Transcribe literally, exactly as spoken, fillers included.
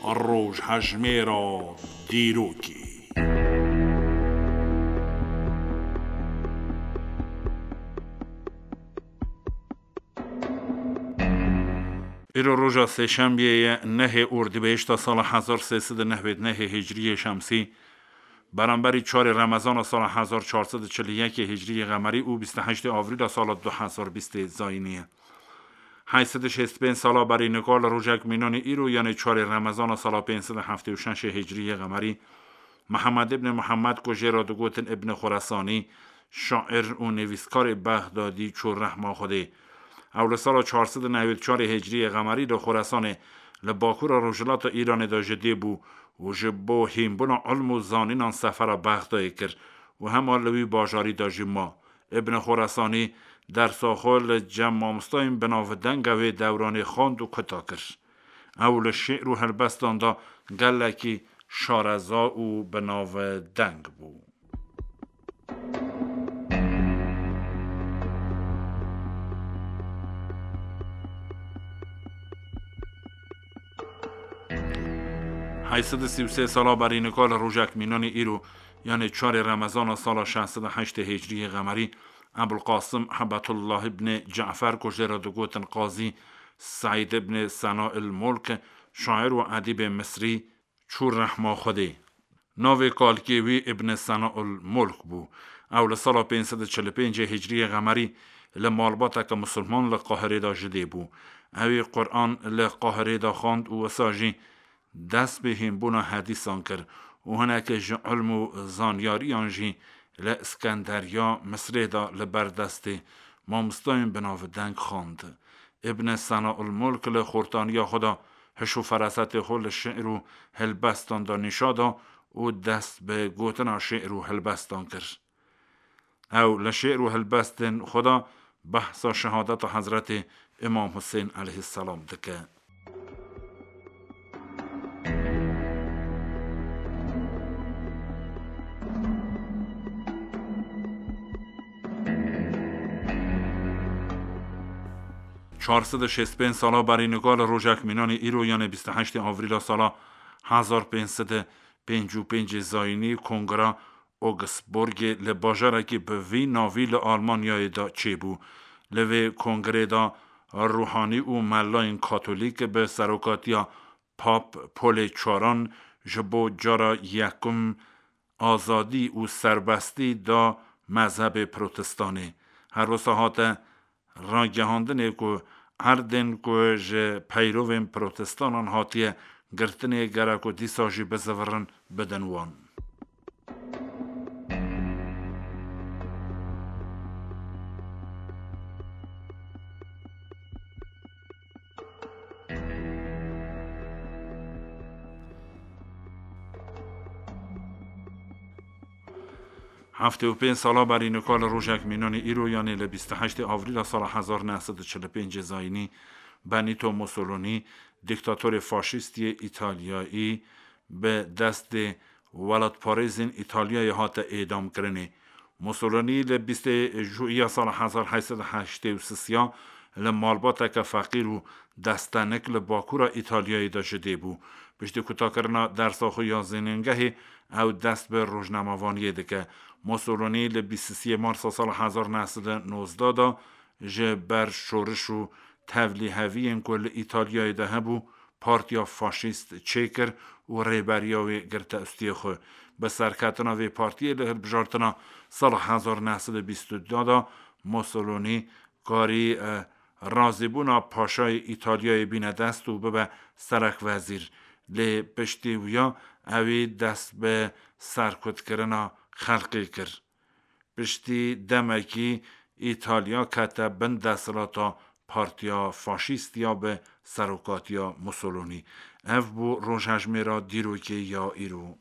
Rojhejmêra dîrokê. Îro roja sêşembiyê ye, nehê Ordibehişta sala hezar sê sed û nehwêd nehê Hicriyê Şemsî, beramberî çarê Remezana sala hezar çar sed û çil û yekê Hicriyê Qemerî û bîst û heştê Avrîla sala du hezar bîstê Zayînî ye. Heyt sed û şêst û pênc sala berî nika li rojek mînanî îro, yanê çarê Remezana sala pênc sed û heftê û şeşê Hicriyê Qemerî, Mihemed îbn Mihemed ku jê re digotin Îbn Xuresanî, şair û nivîskarê Bexdadî çû rehma Xwedê. Ew li sala çar sed û newêd çarê Hicriyê Qemerî li Xuresanê li bakura rojhilata Îranê de ji dê bû û ji bo hînbûna ilm û zanînan sefera Bexdayê kir û hema li wî bajarî de jî ma. Îbn Xoresanî dersa xwe li cem mamostayên bi navdeng wê dewranê xwend û kuta kir. Ew li şi'r û helbestan de gelekî şareza û bi navdeng bû. Heyt sed û sî û sê sala berî nika li rojek mînanî îro, yanê çarê Remezana sala şeş sed û heştê Hicriyê Qemerî, Ebul Qasim Hebetullah ibn Cafer ku jê re digotin Qazî, Seîd ibn Sena il Mulk, şair û edîbê Misrî, çû rehma Xwedê. Navê kalkê wî Îbn Sena il Mulk bû. Ew li sala pênc sed û çil û pêncê Hicriyê Qemerî li malbateke misilman li Qahirê de ji dê bû. Ewî Quran li Qahirê de xwend û wisa jî dest bi hînbûna hedîsan kir û hinekê ji ilm û zanyariyan jî li Iskenderiya Misrê de li ber destê mamostayên bi navdeng xwend. Îbn Sena il Mulk li xortaniya xwe de hiş û ferasetê xwe li şi'r û helbestan de nîşa da û dest bi gotina şi'r û helbestan kir. Ew li şi'r û helbestên xwe de behsa şehadeta Hezretê Îmam Husên eleyhîsselam dike. Çar sed û şêst pênc sala berî nika li rojek mînanî îro, yanê bîst û heştê Avrîla sala hezar pênc sed û pêncî û pêncê Zayînî, Kongra Augsburgê li bajarekî bi vî navî li Almanyayê de çêbû. Li vê kongrê de ruhanî û melayên katolîk bi serokatiya Pap Polê Çaran ji bo cara yekum azadî û serbestî da mezhebê protestanê. Her wisa hate ragihandinê ku erdên ku ji peyrovên protestanan hatiye girtinê gerek ku dîsa jî bizivirin bidin wan. Heftê û pênc sala berî nika li rojek mînanî îro, yanê li bîst û heştê Avrîla sala hezar neh sed û çil û pêncê Zayînî, Benîto Mussolînî, dîktatorê faşîst yê Îtalyayî, bi destê welatparêzên Îtalyayê hate êdamkirinê. Mussolînî li bîstê Juîya sala hezar heyt sed û heştê û sisiya li malbateke feqîr û destenik li bakura Îtalyayê de ji dê bû. Piştî kutakirina dersa xwe ya zênîngehê, ew dest bi rojnamevaniyê dike. Mussolînî li bîst û sê Marsa sala hezar neh sed û nozdeh de ji ber şoriş û tevlîheviyên ku li Îtalyayê de hebû, partiya faşîst çêkir û rêberiya wê girte ustiyê xwe. Bi serketina vê partiyê li hilbijartina sala hezar neh sed û bîst û du de Mussolînî karî, e, razîbûna paşayê Îtalyayê bîne dest û bibe serekvezîr. Lê piştî wiya ewî dest bi serkutkirina xelkê kir. Piştî demekî Îtalya kete bin desthilata partiya faşîst ya bi serokatiya Mussolînî. Ev bû rojhejmêra dîrokê ya îro.